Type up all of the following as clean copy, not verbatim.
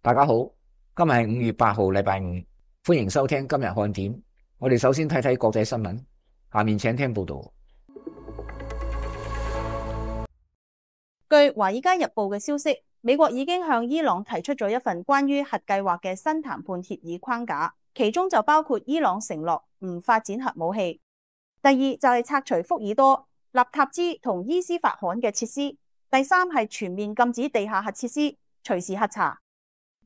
大家好，今日係5月8號，禮拜五，歡迎收聽今日看點。我哋首先睇睇國際新聞，下面請聽報道。據《華爾街日報》嘅消息，美國已經向伊朗提出咗一份關於核計劃嘅新談判協議框架，其中就包括伊朗承諾唔發展核武器。第二就係拆除福爾多、納塔茲同伊斯法罕嘅設施。第三係全面禁止地下核設施，隨時核查。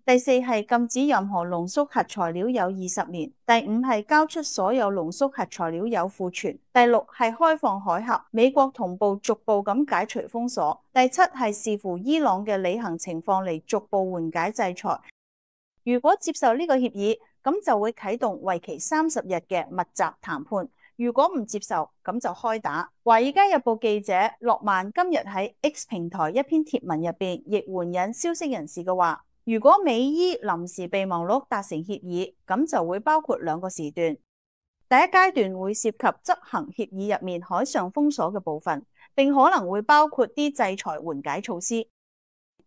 第四係禁止任何濃縮核材料有20年。第五係交出所有濃縮核材料有庫存。第六係開放海峽，美國同步逐步咁解除封鎖。第七係視乎伊朗嘅履行情況嚟逐步緩解制裁。如果接受呢個協議，咁就會啟動為期30日嘅密集談判。如果唔接受，咁就開打。華爾街日報記者諾曼今日喺 X 平台一篇貼文入邊，亦援引消息人士嘅話。如果美伊臨時備忘錄達成協議，咁就會包括2個時段。第一階段會涉及執行協議入面海上封鎖嘅部分，並可能會包括啲制裁緩解措施。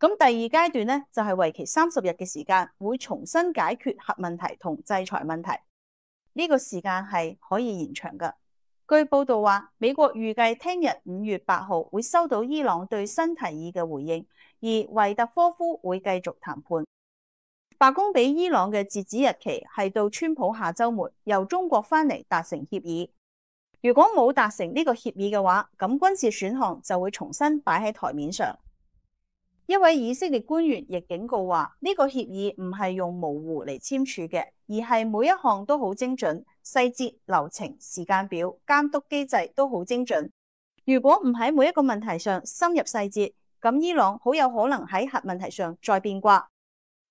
咁第二階段呢，就係為期30日嘅時間，會重新解決核問題同制裁問題。呢個時間係可以延長嘅。據報道話，美國預計聽日5月8號會收到伊朗對新提議嘅回應。而維特科夫會繼續談判。白宮俾伊朗嘅截止日期係到川普下週末由中國返嚟達成協議。如果冇達成呢個協議嘅話，咁軍事選項就會重新擺喺台面上。一位以色列官員亦警告話，呢個協議唔係用模糊嚟簽署嘅，而係每一項都好精準，細節、流程、時間表、監督機制都好精準。如果唔喺每一個問題上深入細節，咁伊朗好有可能喺核問題上再變卦。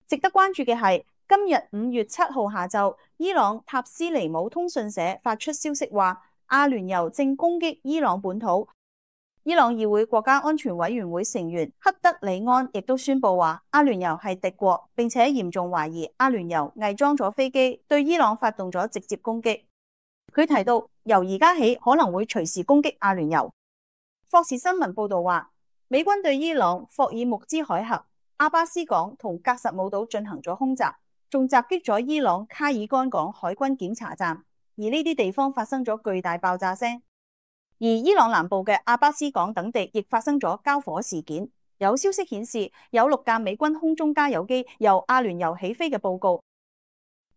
值得關注嘅係，今日5月7號下晝，伊朗塔斯尼姆通訊社發出消息話，阿聯酋正攻擊伊朗本土。伊朗議會國家安全委員會成員克德里安亦都宣布話，阿聯酋係敵國，並且嚴重懷疑阿聯酋偽裝咗飛機對伊朗發動咗直接攻擊。佢提到，由而家起可能會隨時攻擊阿聯酋。霍士新聞報道話，美軍對伊朗霍爾木茲海峽、阿巴斯港同格什姆島進行咗空襲，仲襲擊咗伊朗卡爾干港海軍檢查站，而呢啲地方發生咗巨大爆炸聲。而伊朗南部嘅阿巴斯港等地亦發生咗交火事件。有消息顯示，有6架美軍空中加油機由阿聯酋起飛嘅報告。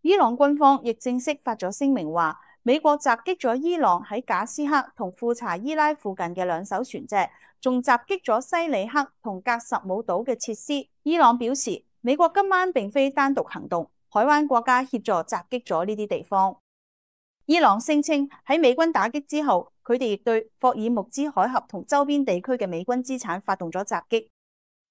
伊朗軍方亦正式發咗聲明話，美國襲擊咗伊朗喺賈斯克同庫查伊拉附近嘅2艘船隻，仲襲擊咗西里克同格什姆島嘅設施。伊朗表示，美國今晚並非單獨行動，海灣國家協助襲擊咗呢啲地方。伊朗聲稱喺美軍打擊之後，佢哋亦對霍爾木茲海峽同周邊地區嘅美軍資產發動咗襲擊。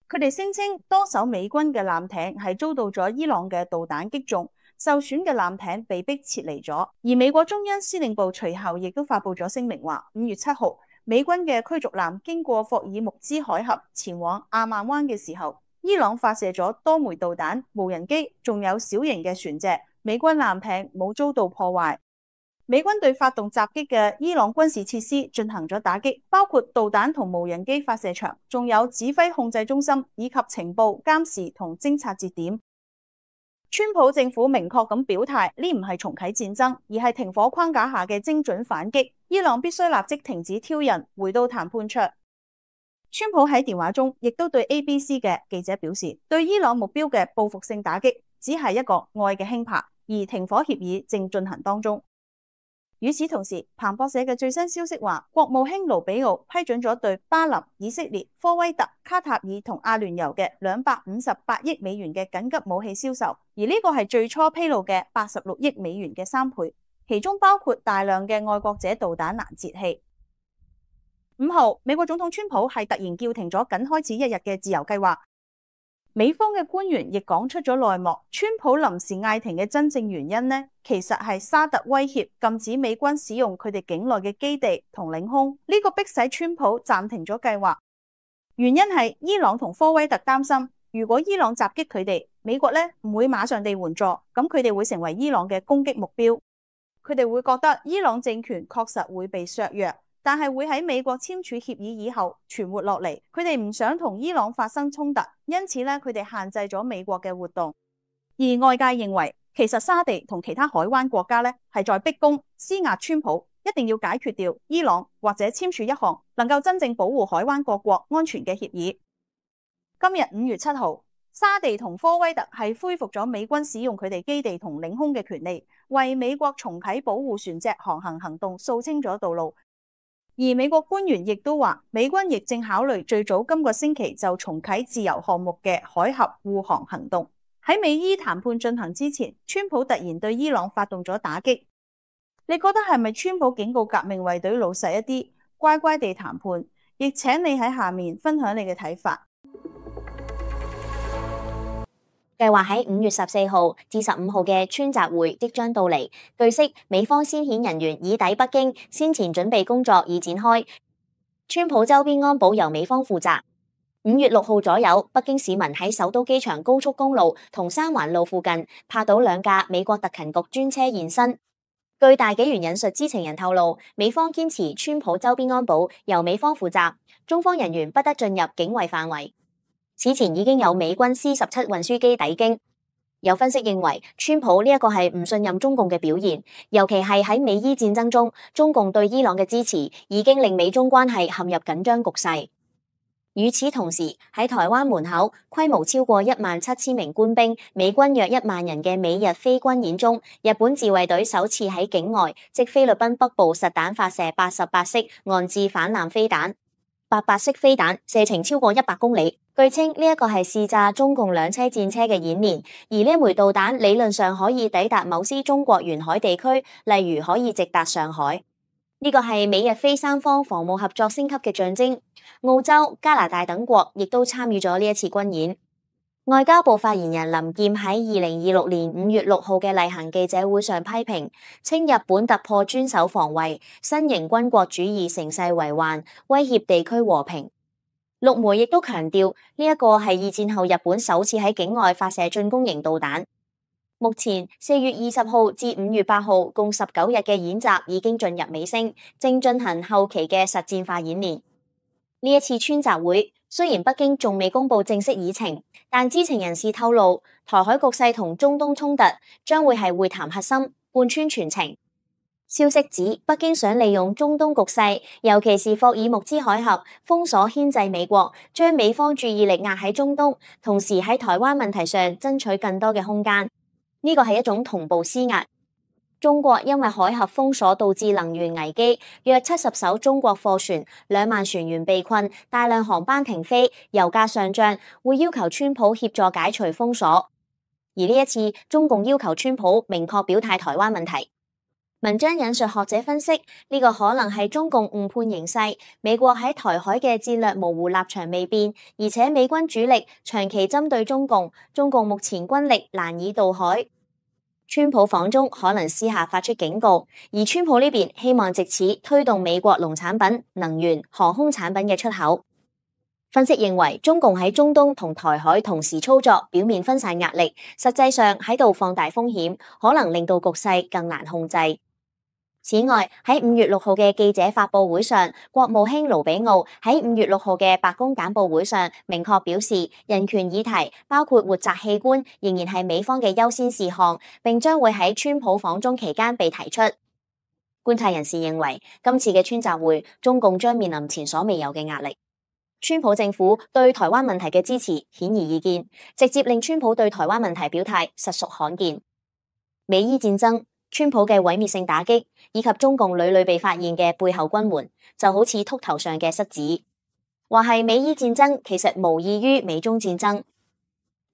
佢哋聲稱多艘美軍嘅艦艇係遭到咗伊朗嘅導彈擊中，受損嘅艦艇被迫撤離咗。而美國中央司令部隨後亦都發布咗聲明話，5月7號美軍嘅驅逐艦經過霍爾木茲海峽前往阿曼灣嘅時候，伊朗發射咗多枚導彈、無人機，仲有小型嘅船隻。美軍艦艇冇遭到破壞。美軍對發動襲擊嘅伊朗軍事設施進行咗打擊，包括導彈同無人機發射場，仲有指揮控制中心以及情報監視同偵察節點。川普政府明確咁表態，呢唔係重啟戰爭，而係停火框架下嘅精準反擊。伊朗必須立即停止挑釁，回到談判桌。川普喺電話中亦都對 ABC 嘅記者表示，對伊朗目標嘅報復性打擊只係一個愛嘅輕拍，而停火協議正進行當中。與此同時，彭博社嘅最新消息話，國務卿盧比奧批准咗對巴林、以色列、科威特、卡塔爾同阿聯酋嘅258億美元嘅緊急武器銷售，而呢個係最初披露嘅86億美元嘅3倍，其中包括大量嘅愛國者導彈攔截器。5號，美國總統川普係突然叫停咗僅開始1日嘅自由計劃。美方嘅官員亦講出咗內幕，川普臨時嗌停嘅真正原因呢，其實係沙特威脅禁止美軍使用佢哋境內嘅基地同領空，呢個迫使川普暫停咗計劃。原因係伊朗同科威特擔心，如果伊朗襲擊佢哋，美國呢唔會馬上地援助，咁佢哋會成為伊朗嘅攻擊目標。佢哋會覺得伊朗政權確實會被削弱，但係會喺美國簽署協議以後存活落嚟。佢哋唔想同伊朗發生衝突，因此咧佢哋限制咗美國嘅活動。而外界認為，其實沙地同其他海灣國家係在逼宮施壓川普，一定要解決掉伊朗或者簽署一項能夠真正保護海灣各國安全嘅協議。今日5月7號，沙地同科威特係恢復咗美軍使用佢哋基地同領空嘅權利，為美國重啟保護船隻航行行動掃清咗道路。而美國官員亦都話，美軍亦正考慮最早今個星期就重啟自由項目嘅海峽護航行動。喺美伊談判進行之前，川普突然對伊朗發動咗打擊。你覺得係咪川普警告革命衛隊老實一啲，乖乖地談判？亦請你喺下面分享你嘅睇法。計劃喺5月14號至15號嘅川習會即將到嚟。據悉，美方先遣人員已抵北京，先前準備工作已展開。川普周邊安保由美方負責。5月6號左右，北京市民喺首都機場高速公路同三環路附近拍到2架美國特勤局專車現身。據大紀元引述知情人透露，美方堅持川普周邊安保由美方負責，中方人員不得進入境衛範圍。此前已經有美軍 C-17 運輸機抵京。有分析認為，川普呢一個係唔信任中共嘅表現，尤其係喺美伊戰爭中，中共對伊朗嘅支持已經令美中關係陷入緊張局勢。與此同時，喺台灣門口規模超過17000名官兵、美軍約1萬人嘅美日非軍演中，日本自衛隊首次喺境外，即菲律賓北部實彈發射88式岸置反艦飛彈。88式飛彈射程超過100公里，據稱呢一個係試炸中共2車戰車嘅演練，而呢枚導彈理論上可以抵達某些中國沿海地區，例如可以直達上海。呢個係美日非三方防務合作升級嘅象徵。澳洲、加拿大等國亦都參與咗呢一次軍演。外交部發言人林劍喺2026年5月6號嘅例行記者會上批評，稱日本突破專守防衛，新型軍國主義乘勢為患，威脅地區和平。陸媒亦都強調，呢一個係二戰後日本首次喺境外發射進攻型導彈。目前4月20號至5月8號共19日嘅演習已經進入尾聲，正進行後期嘅實戰化演練。呢一次川習會雖然北京仲未公布正式議程，但知情人士透露，台海局勢同中東衝突將會係會談核心，貫穿全程。消息指，北京想利用中東局勢，尤其是霍爾木茲海峽封鎖牽制美國，將美方注意力壓喺中東，同時喺台灣問題上爭取更多嘅空間。呢個係一種同步施壓。中國因為海峽封鎖導致能源危機，約70艘中國貨船、2萬船員被困，大量航班停飛，油價上漲，會要求川普協助解除封鎖。而呢一次，中共要求川普明確表態台灣問題。文章引述學者分析，呢個可能係中共誤判形勢，美國喺台海嘅戰略模糊立場未變，而且美軍主力長期針對中共，中共目前軍力難以渡海。川普訪中可能私下發出警告，而川普呢邊希望藉此推動美國農產品、能源、航空產品嘅出口。分析認為，中共喺中東同台海同時操作，表面分散壓力，實際上喺度放大風險，可能令到局勢更難控制。此外，喺5月6號嘅記者發佈會上，國務卿盧比奧喺5月6號嘅白宮簡報會上明確表示，人權議題包括活摘器官仍然係美方嘅優先事項，並將會喺川普訪中期間被提出。觀察人士認為，今次嘅川習會，中共將面臨前所未有嘅壓力。川普政府對台灣問題嘅支持顯而易見，直接令川普對台灣問題表態實屬罕見。美伊戰爭、川普嘅毀滅性打擊，以及中共屢屢被發現嘅背後軍援，就好似禿頭上嘅虱子。話係美伊戰爭，其實無異於美中戰爭。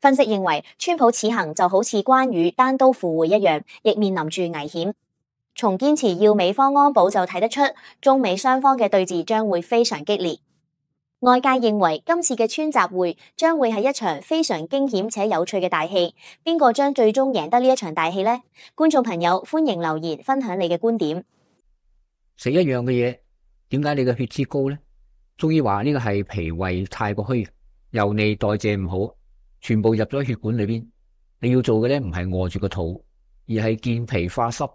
分析認為，川普此行就好似關羽單刀赴會一樣，亦面臨住危險。從堅持要美方安保就睇得出，中美雙方嘅對峙將會非常激烈。外界認為今次嘅川習會將會係一場非常驚險且有趣嘅大戲，邊個將最終贏得呢一場大戲呢？觀眾朋友歡迎留言分享你嘅觀點。食一樣嘅嘢，點解你嘅血脂高呢？中醫話呢個係脾胃太過虛，油膩代謝唔好，全部入咗血管裏邊。你要做嘅咧唔係餓住個肚，而係健脾化濕。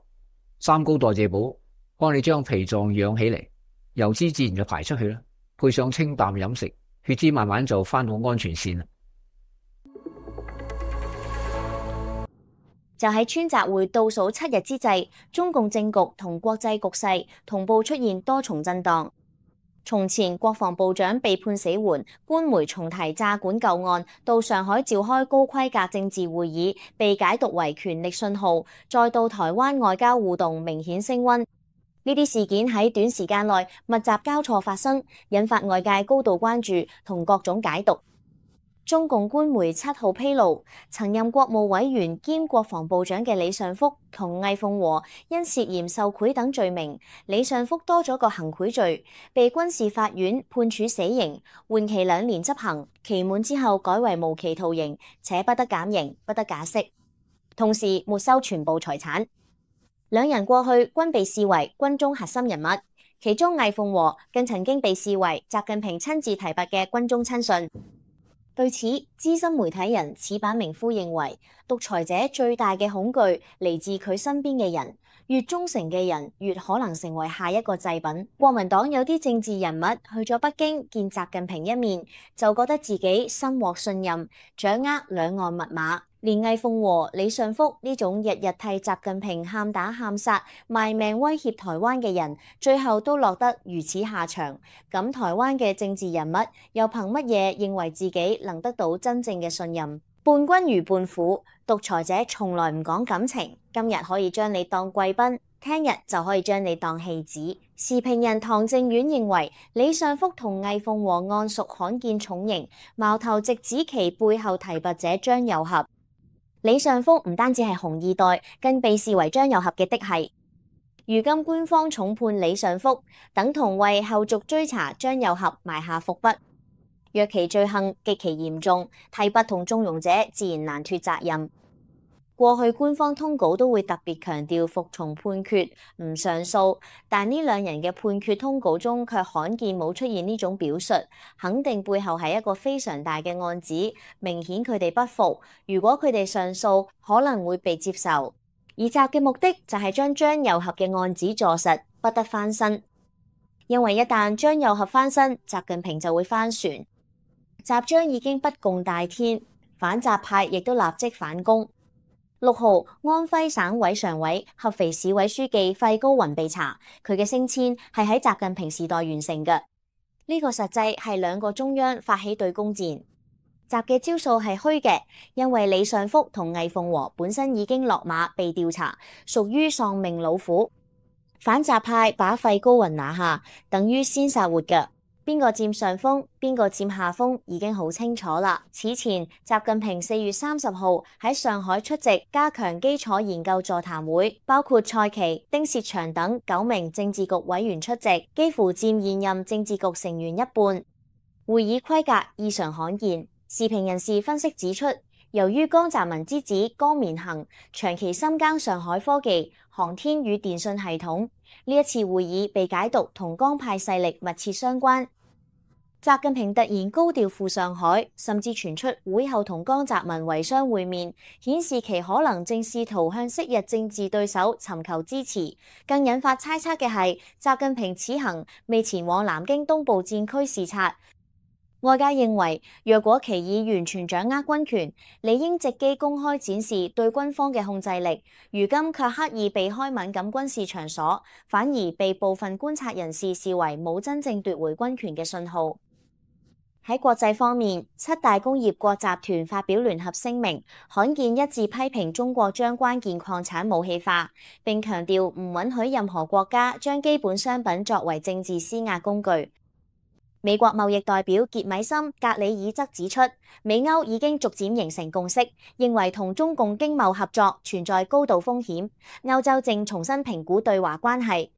三高代謝補幫你將脾臟養起嚟，油脂自然就排出去啦。配上清淡飲食，血脂慢慢就返到安全線啦。就喺川習會倒數7日之際，中共政局同國際局勢同步出現多重震盪。從前國防部長被判死緩，官媒重提詐管舊案，到上海召開高規格政治會議，被解讀為權力信號，再到台灣外交互動明顯升溫。呢啲事件喺短時間內密集交錯發生，引發外界高度關注同各種解讀。中共官媒7號披露，曾任國務委員兼國防部長嘅李尚福同魏鳳和因涉嫌受賄等罪名，李尚福多咗個行賄罪，被軍事法院判處死刑，緩期2年執行，期滿之後改為無期徒刑，且不得減刑，不得假釋，同時沒收全部財產。兩人過去均被視為軍中核心人物，其中魏鳳和更曾經被視為習近平親自提拔嘅軍中親信。對此，資深媒體人矢板明夫認為，獨裁者最大嘅恐懼嚟自佢身邊嘅人，越忠誠嘅人越可能成為下一個祭品。國民黨有啲政治人物去咗北京見習近平一面，就覺得自己深獲信任，掌握兩岸密碼。連魏鳳和、李尚福呢種日日替習近平喊打喊殺、賣命威脅台灣嘅人，最後都落得如此下場。咁台灣嘅政治人物又憑乜嘢認為自己能得到真正嘅信任？伴君如伴虎，獨裁者從來唔講感情，今日可以將你當貴賓，聽日就可以將你當戲子。時評人唐正遠認為，李尚福同魏鳳和案屬罕見重刑，矛頭直指其背後提拔者張又俠。李尚福唔單止係紅二代，更被視為張又俠嘅嫡系。如今官方重判李尚福，等同為後續追查張又俠埋下伏筆。若其罪行極其嚴重，提拔同縱容者自然難脫責任。過去官方通稿都會特別強調服從判決，唔上訴，但呢兩人嘅判決通稿中卻罕見冇出現呢種表述，肯定背後係一個非常大嘅案子，明顯佢哋不服。如果佢哋上訴，可能會被接受。而習嘅目的就係將張又俠嘅案子坐實，不得翻身。因為一旦張又俠翻身，習近平就會翻船。習將已經不共戴天，反習派亦都立即反攻。6號，安徽省委常委、合肥市委書記費高雲被查，佢嘅升遷係喺習近平時代完成嘅。呢個實際係兩個中央發起對攻戰。習嘅招數係虛嘅，因為李尚福同魏鳳和本身已經落馬被調查，屬於喪命老虎。反習派把費高雲拿下，等於先殺活嘅。邊個佔上風，邊個佔下風，已經好清楚啦。此前，習近平4月30號喺上海出席加強基礎研究座談會，包括蔡奇、丁薛祥等9名政治局委員出席，幾乎佔現任政治局成員一半。會議規格異常罕見。時評人士分析指出，由於江澤民之子江綿恒長期深耕上海科技、航天與電信系統，呢一次會議被解讀同江派勢力密切相關。習近平突然高調赴上海，甚至傳出會後同江澤民遺孀會面，顯示其可能正試圖向昔日政治對手尋求支持。更引發猜測嘅係，習近平此行未前往南京東部戰區視察。外界認為，若果其已完全掌握軍權，理應藉機公開展示對軍方嘅控制力。如今卻刻意避開敏感軍事場所，反而被部分觀察人士視為冇真正奪回軍權嘅信號。喺國際方面，7大工業國集團發表聯合聲明，罕見一致批評中國將關鍵礦產武器化，並強調唔允許任何國家將基本商品作為政治施壓工具。美國貿易代表傑米森·格里爾則指出，美歐已經逐漸形成共識，認為同中共經貿合作存在高度風險，歐洲正重新評估對華關係。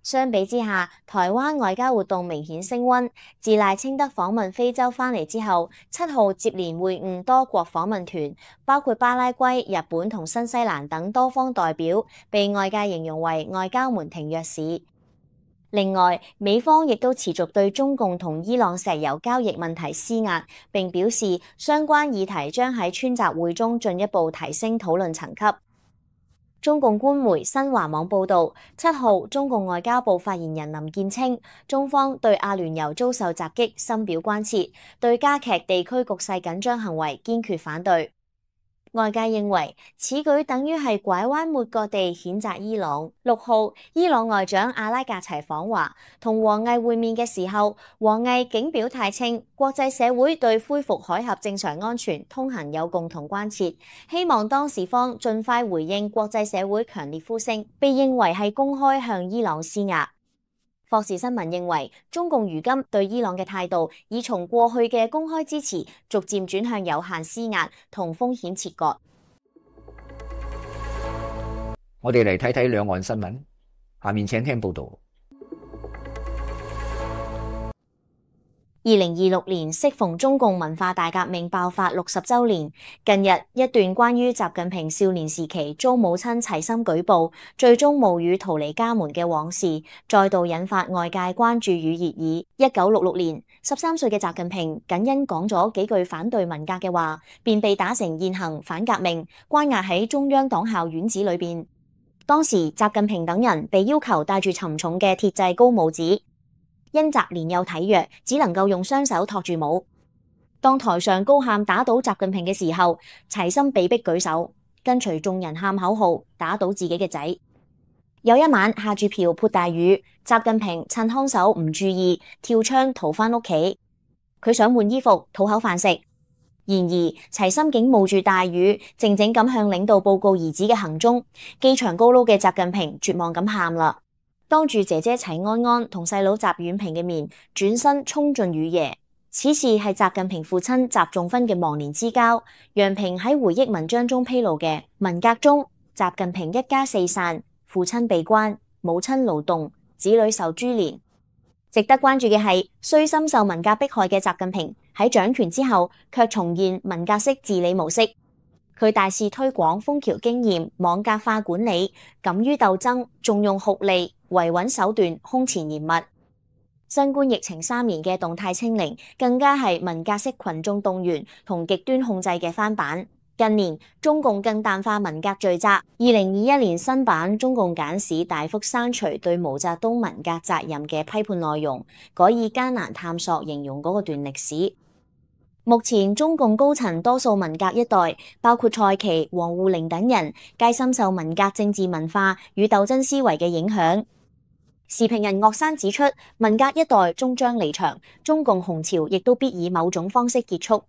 相比之下，台灣外交活動明顯升溫。自賴清德訪問非洲返嚟之後，7號接連會晤多國訪問團，包括巴拉圭、日本同新西蘭等多方代表，被外界形容為外交門庭若市。另外，美方亦都持續對中共同伊朗石油交易問題施壓，並表示相關議題將喺川習會中進一步提升討論層級。中共官媒新華網報導，7號中共外交部發言人林健稱，中方對阿聯酋遭受襲擊深表關切，對加劇地區局勢緊張行為堅決反對。外界認為此舉等於係拐彎抹角地譴責伊朗。6號，伊朗外長阿拉格齊訪華，同王毅會面嘅時候，王毅竟表態稱國際社會對恢復海峽正常安全通行有共同關切，希望當事方盡快回應國際社會強烈呼聲，被認為係公開向伊朗施壓。霍士新聞認為，中共如今對伊朗嘅態度已從過去嘅公開支持，逐漸轉向有限施壓同風險切割。我哋嚟睇睇兩岸新聞，下面請聽報道。2026年適逢中共文化大革命爆發60週年，近日一段關於習近平少年時期遭母親齊心舉報，最終冒雨逃離家門嘅往事，再度引發外界關注與熱議。1966年，13歲嘅習近平僅因講咗幾句反對文革嘅話，便被打成現行反革命，關押喺中央黨校院子裏邊。當時習近平等人被要求帶住沉重嘅鐵製高帽子。因習年幼體弱，只能夠用雙手托住帽。當台上高喊打倒習近平嘅時候，齊心被逼舉手，跟隨眾人喊口號，打倒自己嘅仔。有一晚下住瓢潑大雨，習近平趁看守唔注意，跳窗逃返屋企。佢想換衣服，討口飯食。然而齊心竟冒住大雨，靜靜咁向領導報告兒子嘅行蹤。機場高樓嘅習近平絕望咁喊啦。當住姐姐齊安安同細佬習遠平嘅面，轉身衝進雨夜。此事係習近平父親習仲勳嘅忘年之交。楊平喺回憶文章中披露嘅文革中，習近平一家四散，父親被關，母親勞動，子女受株連。值得關注嘅係，雖深受文革迫害嘅習近平喺掌權之後，卻重現文革式治理模式。佢大肆推廣楓橋經驗、網格化管理，敢於鬥爭，重用酷吏、維穩手段，空前嚴密。新冠疫情3年嘅動態清零，更加係文革式群眾動員同極端控制嘅翻版。近年中共更淡化文革罪責，2021年新版中共簡史大幅刪除對毛澤東文革責任嘅批判內容，改以艱難探索形容嗰個段歷史。目前中共高層多數文革一代，包括蔡奇、王滬寧等人，皆深受文革政治文化與鬥爭思維嘅影響。時評人岳山指出，文革一代終將離場，中共紅潮亦都必以某種方式結束。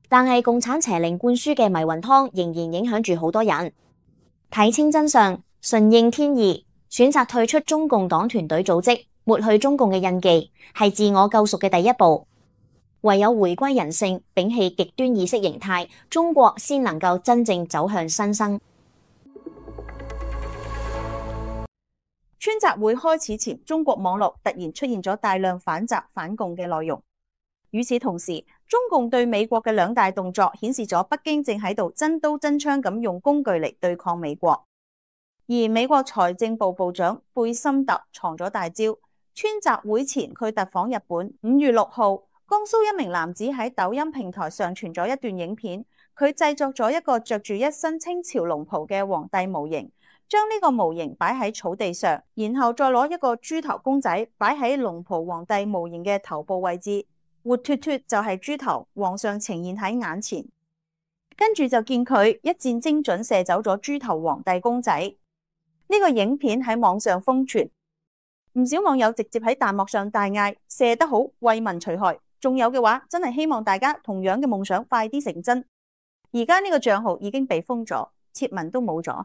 但係共產邪靈灌輸嘅迷魂湯仍然影響住好多人。睇清真相，順應天意，選擇退出中共黨團隊組織，抹去中共嘅印記，係自我救贖嘅第一步。唯有回歸人性，摒棄極端意識形態，中國先能夠真正走向新生。川習會開始前，中國網絡突然出現咗大量反習反共嘅內容。與此同時，中共對美國嘅兩大動作顯示咗北京正喺度真刀真槍咁用工具嚟對抗美國。而美國財政部部長貝森特藏咗大招，川習會前佢特訪日本。5月6號，江蘇一名男子喺抖音平台上傳咗一段影片，佢製作咗一個着住一身清朝龍袍嘅皇帝模型，將呢個模型擺喺草地上，然後再攞一個豬頭公仔擺喺龍袍皇帝模型嘅頭部位置，活脫脫就係豬頭，皇上呈現喺眼前。跟住就見佢一箭精準射走咗豬頭皇帝公仔。呢個影片喺網上瘋傳，唔少網友直接喺彈幕上大嗌：射得好，為民除害！仲有嘅話，真係希望大家同樣嘅夢想快啲成真。而家呢個賬號已經被封咗，貼文都冇咗。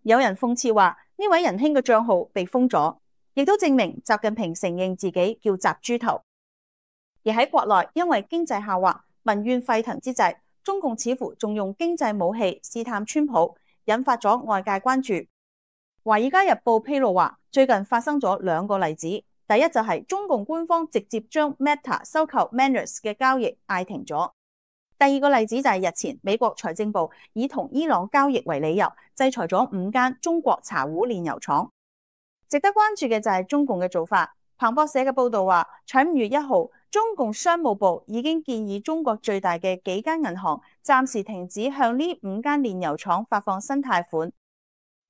有人諷刺話呢位仁兄嘅賬號被封咗，亦都證明習近平承認自己叫習豬頭。而喺國內，因為經濟下滑、民怨沸騰之際，中共似乎仲用經濟武器試探川普，引發咗外界關注。華爾街日報披露話，最近發生咗2個例子。第一就係中共官方直接將 Meta 收購 Manners 嘅交易嗌停咗。第二個例子就係日前美國財政部以同伊朗交易為理由，制裁咗5間中國茶壺煉油廠。值得關注嘅就係中共嘅做法。彭博社嘅報道話，喺5月1號，中共商務部已經建議中國最大嘅幾間銀行暫時停止向呢5間煉油廠發放新貸款。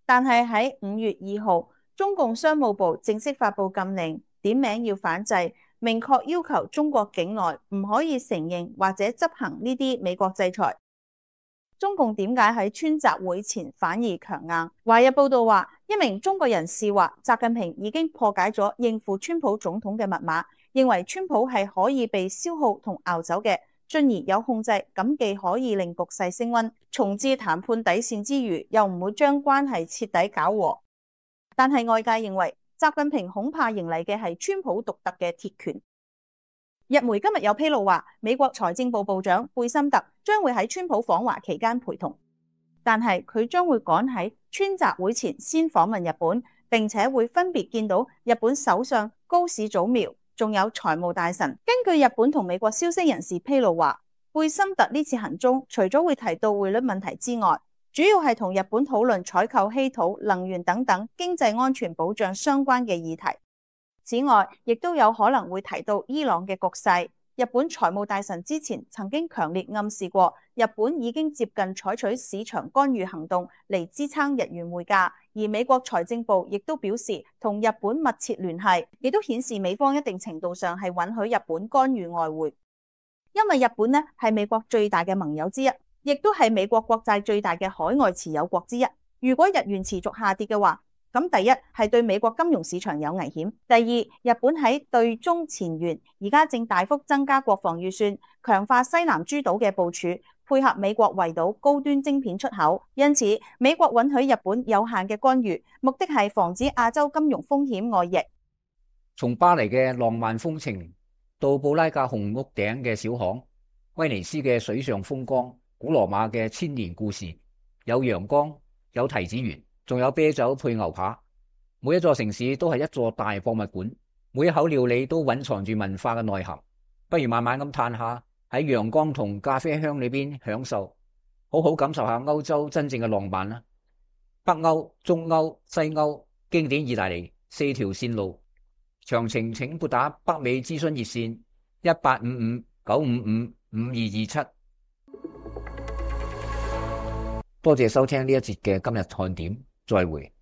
但係喺5月2號，中共商務部正式發布禁令，點名要反制，明確要求中國境內唔可以承認或者執行呢啲美國制裁。中共點解喺川習會前反而強硬？華日報道話，一名中國人士話，習近平已經破解咗應付川普總統嘅密碼，認為川普係可以被消耗同熬走嘅，進而有控制，咁既可以令局勢升溫，重置談判底線之餘，又唔會將關係徹底搞和。但係外界認為，習近平恐怕迎嚟嘅係川普獨特嘅鐵拳。日媒今日有披露話，美國財政部部長貝森特將會喺川普訪華期間陪同，但係佢將會趕喺川習會前先訪問日本，並且會分別見到日本首相高市早苗，仲有財務大臣。根據日本同美國消息人士披露話，貝森特呢次行蹤除咗會提到匯率問題之外，主要係同日本討論採購稀土、能源等等經濟安全保障相關嘅議題。此外，亦都有可能會提到伊朗嘅局勢。日本財務大臣之前曾經強烈暗示過，日本已經接近採取市場干預行動嚟支撐日元匯價，而美國財政部亦都表示同日本密切聯繫，亦都顯示美方一定程度上係允許日本干預外匯。因為日本呢係美國最大嘅盟友之一，亦都係美國國債最大嘅海外持有國之一。如果日元持續下跌嘅話，咁第一係對美國金融市場有危險，第二，日本喺對中前沿而家正大幅增加國防預算，強化西南諸島嘅部署，配合美國圍堵高端晶片出口。因此，美國允許日本有限嘅干預，目的係防止亞洲金融風險外溢。從巴黎嘅浪漫風情到布拉格紅屋頂嘅小巷，威尼斯嘅水上風光，古羅馬嘅千年故事，有陽光，有提子園，仲有啤酒配牛扒。每一座城市都係一座大博物館，每一口料理都蘊藏住文化嘅內涵。不如慢慢咁嘆下，喺陽光同咖啡香裏邊享受，好好感受下歐洲真正嘅浪漫啦。北歐、中歐、西歐，經典意大利，4條線路。詳情請撥打北美諮詢熱線1855-955-5227。多謝收聽呢一節嘅今日看點，再會。